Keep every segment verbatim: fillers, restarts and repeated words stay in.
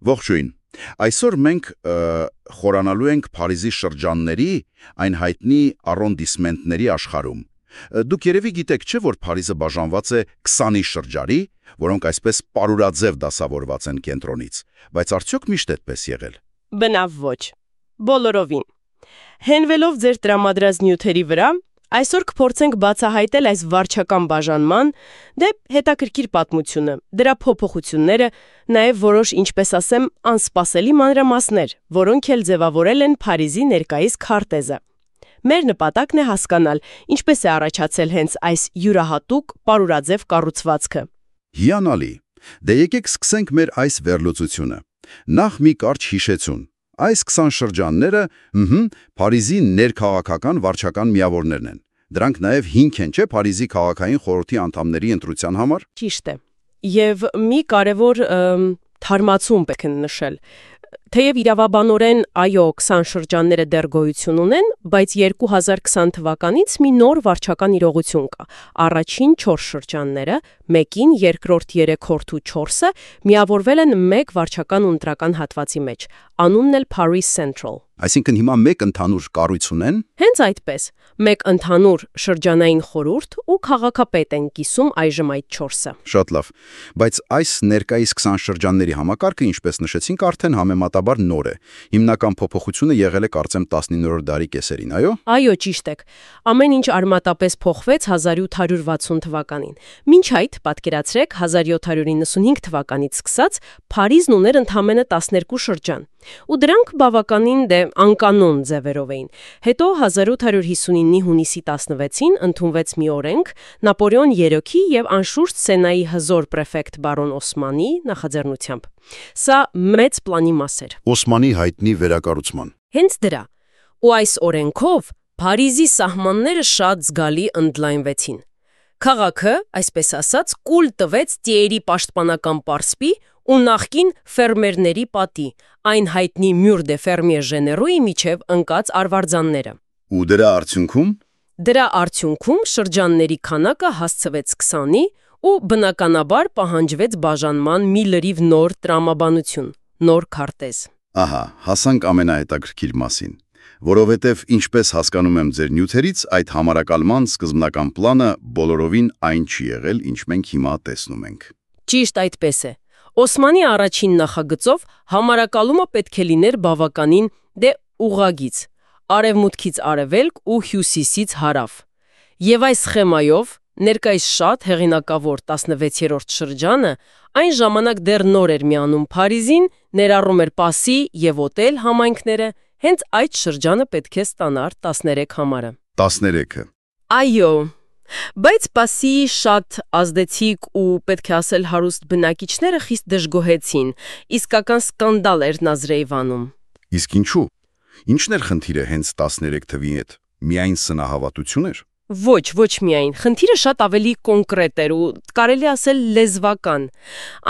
Ողջույն։ Այսօր մենք ը, խորանալու ենք Փարիզի շրջանների, այն հայտնի arrondissement-ների աշխարհում։ Ը, Դուք երևի գիտեք, չէ՞, որ Փարիզը բաժանված է քսանի շրջանի, որոնք այսպես պարուրաձև դասավորված են կենտրոնից, բայց արդյոք միշտ այդպես եղել։ Բնավ ոչ։ Բոլորովին։ Հենվելով ձեր տրամադրած նյութերի վրա, այսօր կփորձենք բացահայտել այս վարչական բաժանման դե հետաքրքիր պատմությունը, դրա փոփոխությունները, նաև որոշ, ինչպես ասեմ, անսպասելի մանրամասներ, որոնք էլ ձևավորել են Փարիզի ներկայիս քարտեզը։ Մեր նպատակն է հասկանալ, ինչպես է առաջացել հենց այս յուրահատուկ պարուրաձև կառուցվածքը։ Հիանալի։ Դե եկեք սկսենք մեր այս վերլուծությունը։ Նախ մի կարճ հիշեցուն։ Այս քսան շրջանները, ըհը, Փարիզի ներքաղաքական վարչական միավորներն են։ Դրանք նաև հիմք են, չէ՞, Փարիզի քաղաքային խորհրդի անդամների ընտրության համար։ Ճիշտ է։ Եվ մի կարևոր ըմ, թարմացում պետք է նշել։ Թեև իրավաբանորեն, այո, քսան շրջանները դեռ գոյություն ունեն, բայց երկու հազար քսան թվականից մի նոր վարչական իրողություն կա։ Առաջին չորս շրջանները, մեկին, երկրորդ երեքորդը ու չորսը միավորվել են մեկ վարչական ու ընտրական հատվածի մեջ։ Անունն էլ Paris Central։ Այսինքն հիմա մեկ ընդհանուր կառույց ունեն։ Հենց այդպես, մեկ ընդհանուր շրջանային խորհուրդ ու քաղաքապետ են կիսում այժմ այդ չորսը։ Շատ լավ։ Բայց այս ներկայիս քսան շրջանների համակարգը, ինչպես նշեցինք, արդեն համեմատաբար նոր է։ Հիմնական փոփոխությունը եղել է կարծեմ տասնիններորդ դարի կեսերին, այո։ Այո, ճիշտ եք։ Ամեն ինչ արմատապես փոխվեց հազար ութ հարյուր վաթսուն թվականին։ Մինչ այդ, պատկերացրեք, հազար յոթ հարյուր նվաթ թվականից սկսած Փարիզն ուներ ընդամենը տասներկու շրջան։ Ու դրանք բավականին դե անկանոն ձևերով էին։ Հետո հազար ութ հարյուր հիսունինի հունիսի տասնվեցին ընդունվեց մի օրենք Նապոլեոն երրորդի եւ անշուշտ Սենայի հզոր պրեֆեկտ բարոն Օսմանի նախաձեռնությամբ։ Սա մեծ պլանի մաս էր։ Օսմանի հայտնի վերակառուցման։ Հենց դրա։ Ու այս օրենքով Փարիզի սահմանները շատ զգալի ընդլայնվեցին։ Քաղաքը, այսպես ասած, կուլ տվեց Տիերի պաշտպանական պարսպի ու նախկին ֆերմերների պատի, այն հայտնի Mur de Fermier Généraux-ի միջև ընկած արվարձանները։ Ու դրա արդյունքում Դրա արդյունքում շրջանների քանակը հասցվեց քսանի ու բնականաբար պահանջվեց բաժանման մի լրիվ նոր տրամաբանություն, նոր քարտեզ։ Ահա, հասանք ամենահետաքրքիր մասին, որովհետև ինչպես հասկանում եմ ձեր նյութերից, այդ համարակալման սկզբնական պլանը բոլորովին այն չի եղել, ինչ մենք հիմա տեսնում ենք։ Ճիշտ այդպես է։ Օսմանի առաջին նախագծով համարակալումը պետք է լիներ բավականին դե ուղղագիծ, արևմուտքից արևելք ու հյուսիսից հարավ։ Եվ այս սխեմայով ներկայիս շատ հեղինակավոր տասնվեցերորդ շրջանը այն ժամանակ դեռ նոր էր միանում Փարիզին, ներառում էր Պասի եւ Օտել համայնքները, հենց այդ շրջանը պետք է ստանար տասներեք համարը։ տասներեքը։ Այո, բայց Պասի շատ ազդեցիկ ու պետք է ասել հարուստ բնակիչները խիստ դժգոհեցին, իսկական սկանդալ էր Նազրեյվանում։ Իսկ ինչու։ Ինչն էր խնդիրը հենց տասներեք թվի հետ։ Միայն սնահավատություն էր։ Ոչ, ոչ միայն, խնդիրը շատ ավելի կոնկրետ էր ու կարելի ասել լեզվական։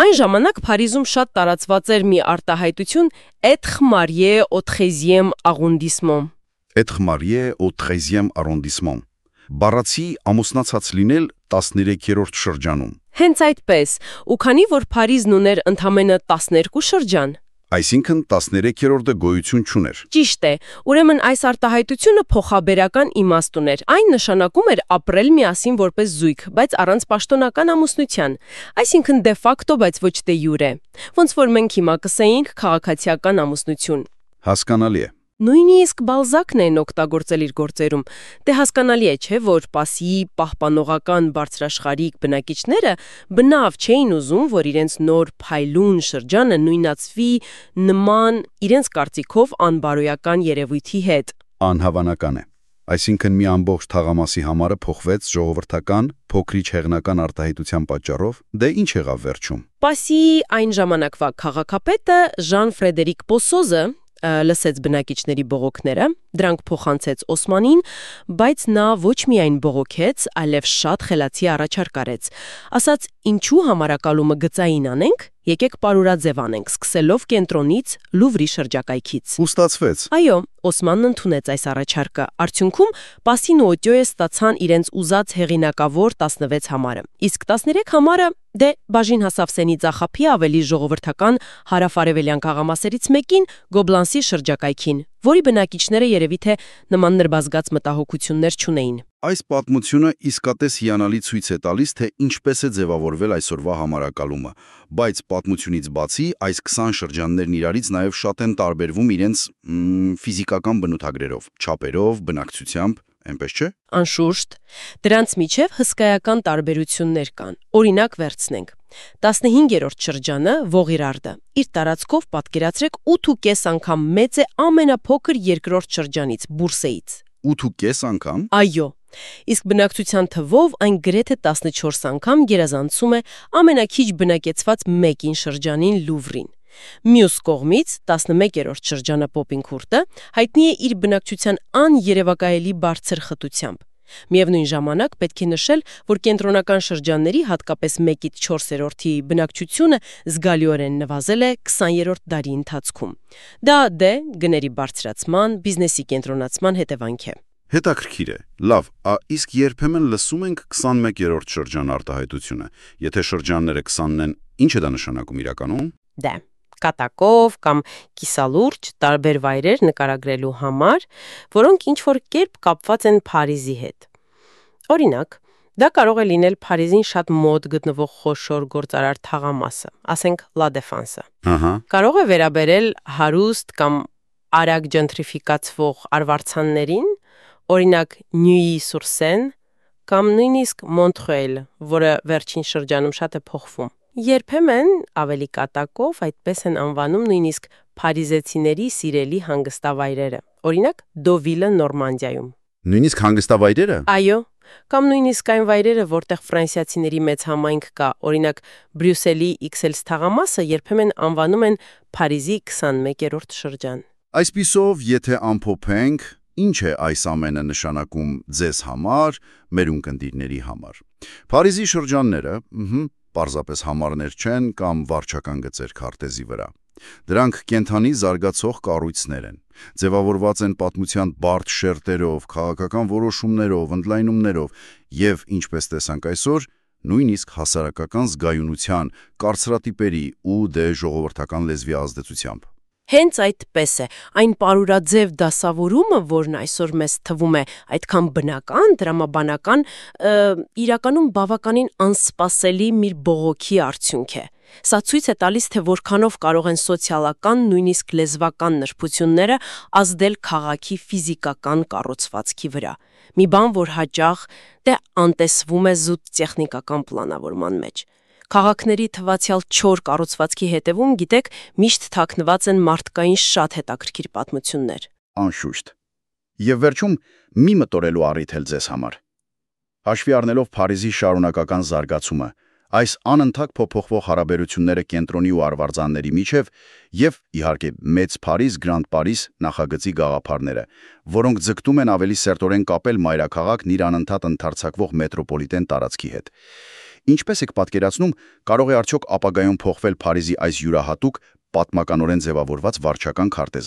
Այն ժամանակ Փարիզում շատ տարածված էր մի արտահայտություն être marié au treizième arrondissement։ Être marié au treizième arrondissement։ Բառացի ամուսնացած լինել տասներեքերորդ շրջանում։ Հենց այդպես, ու քանի որ Փարիզն ուներ ընդամենը տասներկու շրջան, այսինքն տասներեքերորդը գոյություն չուներ։ Ճիշտ է, ուրեմն այս արտահայտությունը փոխաբերական իմաստ ուներ։ Այն նշանակում էր ապրել միասին որպես զույգ, բայց առանց պաշտոնական ամուսնության, այսինքն դե ֆակտո, բայց ոչ դե յուրե։ Ոնց որ մենք հիմա կսեինք քաղաքացիական ամուսնություն։ Հասկանալի է։ Նույնիսկ Բալզակն են օգտագործել իր գործերում։ Դե հասկանալի է, չէ, որ Պասիի պահպանողական բարձրաշխարհիկ բնակիչները բնավ չէին ուզում, որ իրենց նոր փայլուն շրջանը նույնացվի նման իրենց կարծիքով անբարոյական երևույթի հետ։ Անհավանական է։ Այսինքն մի ամբողջ թաղամասի համարը փոխվեց ժողովրդական, փոքրիչ հեղնական արտահայտության պատճառով, դե ինչ եղավ վերջում։ Պասիի այն ժամանակվա քաղաքապետը Ժան Ֆրեդերիկ Պոսոզը լսեց բնակիչների բողոքները, դրանք փոխանցեց Օսմանին, բայց նա ոչ միայն բողոքեց, այլև շատ խելացի առաջարկ արեց։ Ասաց, ինչու համարակալումը գծային անենք, Եկեք պարուրաձև անենք, սկսելով կենտրոնից, Լուվրի շրջակայքից։ Ու ստացվեց։ Այո, Օսմանն ընդունեց այս առաջարկը։ Արդյունքում Պասին ու Օտյոյը ստացան իրենց ուզած հեղինակավոր տասնվեց համարը։ Իսկ տասներեք համարը դե բաժին հասավ Սենի ծախապի ավելի ժողովրդական հարավարևելյան քաղամասերից մեկին Գոբլանսի շրջակայքին, որի բնակիչները երևի թե նման նրբազգաց մտահոգություններ չունեին։ Այս պատմությունը իսկապես հիանալի ցույց է տալիս, թե ինչպես է ձևավորվել այսօրվա համարակալումը, բայց պատմությունից բացի այս քսան շրջաններն իրարից նաև շատ են տարբերվում իրենց մ, ֆիզիկական բնութագրերով, չափերով, բնակչությամբ, այնպես չէ։ Անշուշտ, դրանց միջև հսկայական տարբերություններ կան։ Օրինակ վերցնենք։ տասնհինգերորդ շրջանը Ողիրարդը իր տարածքով պատկերացրեք ութ ու կես անգամ մեծ է ամենափոքր երկրորդ շրջանից Բուրսեից։ ութ ու կես անգամ։ Այո։ Իսկ բնակչության թվով այն գրեթե տասնչորս անգամ գերազանցում է ամենաքիչ բնակեցված մեկին շրջանին Լուվրին։ Մյուս կողմից տասնմեկերորդ շրջանը Պոպինքուրտը հայտնի է իր բնակչության աներևակայելի բարձր խտությամբ։ Միևնույն ժամանակ պետք է նշել, որ կենտրոնական շրջանների հատկապես մեկից չորսերորդի բնակչությունը զգալիորեն նվազել է քսաներորդ դարի ընթացքում։ Դա դե գների բարձրացման, բիզնեսի կենտրոնացման հետևանք է։ Հետաքրքիր է։ Լավ, ա իսկ երբեմն լսում ենք քսանմեկերորդ շրջան արտահայտությունը։ Եթե շրջանները քսանն են, ինչ է դա նշանակում իրականում։ Դե կատակով կամ կիսալուրջ տարբեր վայրեր նկարագրելու համար, որոնք ինչ-որ կերպ կապված են Փարիզի հետ։ Օրինակ, դա կարող է լինել Փարիզին շատ մոտ գտնվող խոշոր գործարար թաղամասը, ասենք Լա Դեֆանսը։ Ահա։ Կարող է վերաբերել հարուստ կամ արագ ջենտրիֆիկացվող արվարձաններին, օրինակ Նյուի-Սուր-Սեն կամ նույնիսկ Մոնտրեյլ, որը վերջին շրջանում շատ է փոխվում։ Երբեմն ավելի կատակով այդպես են անվանում նույնիսկ փարիզեցիների սիրելի հանգստավայրերը, օրինակ Դովիլը Նորմանդիայում։ Նույնիսկ հանգստավայրերը։ Այո, կամ նույնիսկ այն վայրերը, որտեղ ֆրանսիացիների մեծ համայնք կա, օրինակ Բրյուսելի Իքսելս թաղամասը երբեմն անվանում են Փարիզի քսանմեկերորդ շրջան։ Այսպիսով, եթե ամփոփենք, ինչ է այս ամենը նշանակում ձեզ համար, մեր ունկնդիրների համար։ Փարիզի շրջանները, ըհը, պարզապես համարներ չեն կամ վարչական գծեր քարտեզի վրա։ Դրանք կենթանի զարգացող կառույցներ են, ձևավորված են պատմության բարդ շերտերով, քաղաքական որոշումներով, ընդլայնումներով եւ, ինչպես տեսանք այսօր, նույնիսկ հասարակական զգայունության, կարծրատիպերի ու դե ժողովրդական լեզվի ազդեցությամբ։ Հենց այդպես է, այն պարուրաձև դասավորումը, որն այսօր մեզ թվում է այդքան բնական, դրամաբանական, իրականում բավականին անսպասելի մի բողոքի արդյունք է։ Սա ցույց է տալիս, թե որքանով կարող են սոցիալական, նույնիսկ լեզվական նրբությունները ազդել քաղաքի ֆիզիկական կառուցվածքի վրա։ Մի բան, որ հաճախ դե անտեսվում է զուտ տեխնիկական պլանավորման մեջ։ Քաղաքների թվացյալ չոր կառուցվածքի հետևում, գիտեք, միշտ թաքնված են մարդկային շատ հետաքրքիր պատմություններ։ Անշուշտ։ Եվ վերջում մի մտորելու առիթ էլ ձեզ համար։ Հաշվի առնելով Փարիզի շարունակական զարգացումը, այս անընդհատ փոփոխվող հարաբերությունները կենտրոնի ու արվարձանների միջև եւ, իհարկե, Մեծ Փարիզ, Գրանդ Փարիզ նախագծի գաղափարները, որոնք ձգտում են ավելի սերտորեն կապել մայրաքաղաքն իր անընդհատ ընդարձակվող մետրոպոլիտեն տարածքի հետ։ Ինչպես եք պատկերացնում, կարող է արդյոք ապագայում փոխվել Փարիզի այս յուրահատուկ, պատմականորեն ձևավորված վարչական քարտեզը։